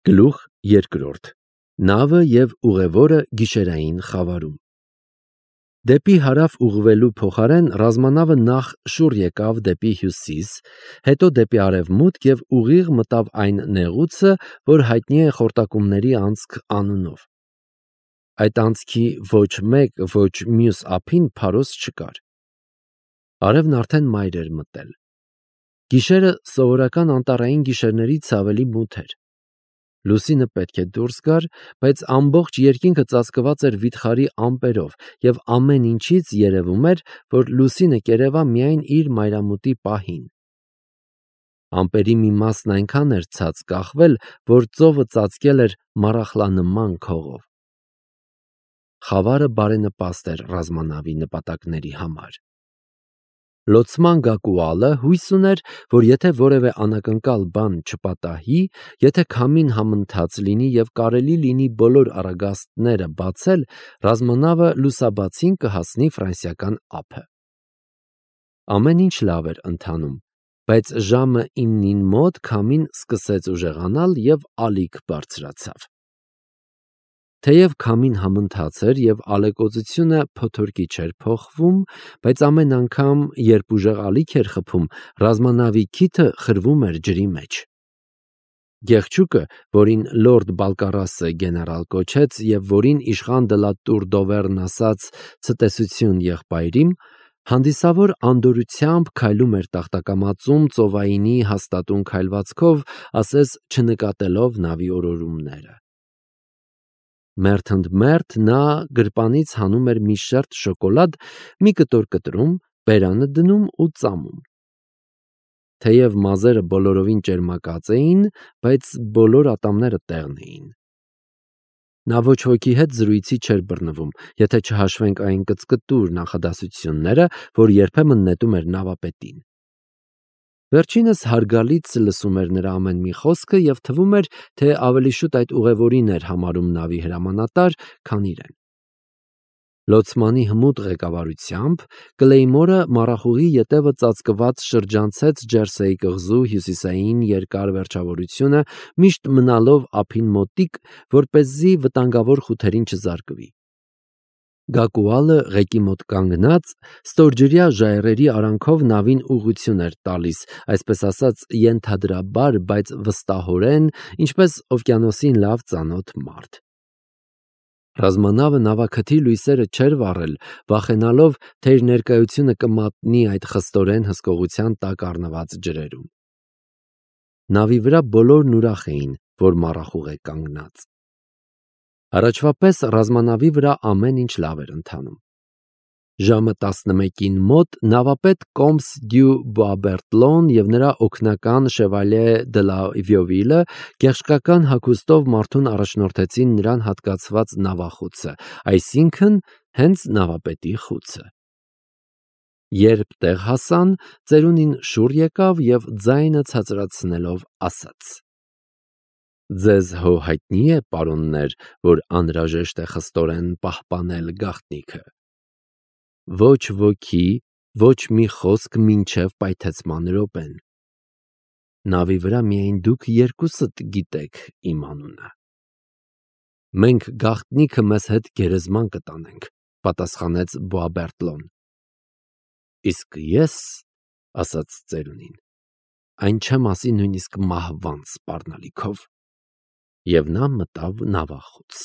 Գլուխ երկրորդ. Նավը և ուղևորը գիշերային խավարում։ Դեպի հարավ ուղղվելու փոխարեն ռազմանավը նախ շուռ եկավ դեպի հյուսիս, հետո դեպի արևմուտք և ուղիղ մտավ այն նեղուցը, որ հայտնի է Խորտակումների անցք անունով։ Այդ անցքի ոչ մեկ, ոչ մյուս ափին փարոս չկար։ Արևն արդեն մայր էր մտել։ Գիշերը սովորական անտառային գիշերներից ավելի մութ էր։ Լուսինը պետք է դուրս գար, բայց ամբողջ երկինքը ծածկված էր վիթխարի ամպերով, և ամեն ինչից երևում էր, որ լուսինը կերևա միայն իր մայրամուտի պահին։ Ամպերի մի մասն այնքան էր ցած կախվել, որ ծովը ծածկել էր մառախլանման քողով։ Խավարը բարենպաստ էր ռազմանավի նպատակների համար։ Լոցման Գակուալը հույս ուներ, որ եթե որևէ անակնկալ բան չպատահի, եթե քամին համընթաց լինի և կարելի լինի բոլոր առագաստները բացել, ռազմանավը լուսաբացին կհասնի ֆրանսիական ափը։ Ամեն ինչ լավ էր ընթանում, բայց ժամը 9-ին մոտ քամին սկսեց ուժեղանալ և ալիք բարձրացավ։ Թեև քամին համընթաց էր և ալեկոծությունը փոթորկի չէր փոխվում, բայց ամեն անգամ, երբ ուժեղ ալիք էր խփում, ռազմանավի քիթը խրվում էր ջրի մեջ։ Գեղչուկը, որին լորդ Բալկարասը գեներալ կոչեց և որին իշխան դը լա Տուր դովերն ասաց ցտեսություն եղբայրիմ, հանդիսավոր անդորրությամբ քայլում էր տախտակամածում ծովայինի հաստատուն քայլվածքով, ասես չնկատելով նավի օրորումները։ Մերթ ընդ մերթ նա գրպանից հանում էր մի շերտ շոկոլադ, մի կտոր կտրում, բերանը դնում ու ծամում։ Թեև մազերը բոլորովին ճերմակած էին, բայց բոլոր ատամները տեղն էին։ Նա ոչ ոքի հետ զրույցի չէր բռնվում, եթե չհաշվենք այն կծկտուր նախադասությունները, որ երբեմն նետում էր նավապետին։ Վերջինս հարգալից լսում էր նրա ամեն մի խոսքը և թվում էր, թե ավելի շուտ այդ ուղևորին էր համարում նավի հրամանատար, քան իրեն։ Լոցմանի հմուտ ղեկավարությամբ Կլեյմորը մառախուղի ետևը ծածկված շրջանցեց Ջերսեի կղզու հյուսիսային երկար վերջավորությունը, միշտ մնալով ափին մոտիկ, որպեսզի վտանգավոր խութերին չզարկվի։ Գակուալը ղեկի մոտ կանգնած, ստորջրյա ժայռերի արանքով նավին ուղղություն էր տալիս, այսպես ասած, ենթադրաբար, բայց վստահորեն, ինչպես օվկիանոսին լավ ծանոթ մարդ։ Ռազմանավը նավաքթի լույսերը չէր վառել, վախենալով, թե իր ներկայությունը կմատնի այդ խստորեն հսկողության տակ առնված ջրերում։ Նավի վրա բոլորն ուրախ էին, որ մառախուղ է կանգնած։ Առաջվա պես ռազմանավի վրա ամեն ինչ լավ էր ընթանում։ Ժամը 11-ին մոտ նավապետ Կոմս դյու Բոաբերտլոն և նրա օգնական Շևալյե դը լա Վիովիլը գեղչկական հագուստով մարդուն առաջնորդեցին նրան հատկացված նավախուցը, այսինքն հենց նավապետի խուցը։ Երբ տեղ հասան, ծերունին շուռ եկավ և ձայնը ցածրացնելով ասաց. «Ձեզ հո հայտնի է, պարոններ, որ անհրաժեշտ է խստորեն պահպանել գաղտնիքը։ Ոչ ոքի, ոչ մի խոսք մինչև պայթեցման րոպեն։ Նավի վրա միայն դուք երկուսդ գիտեք իմ անունը»։ Մենք գաղտնիքը մեզ հետ գերեզման կտանենք, պատասխանեց Բոաբերտլոն։ Իսկ ես, ասաց ծերունին, այն չեմ ասի նույնիսկ մահվան սպառնալիքով։ Եվ նա մտավ նավախոց։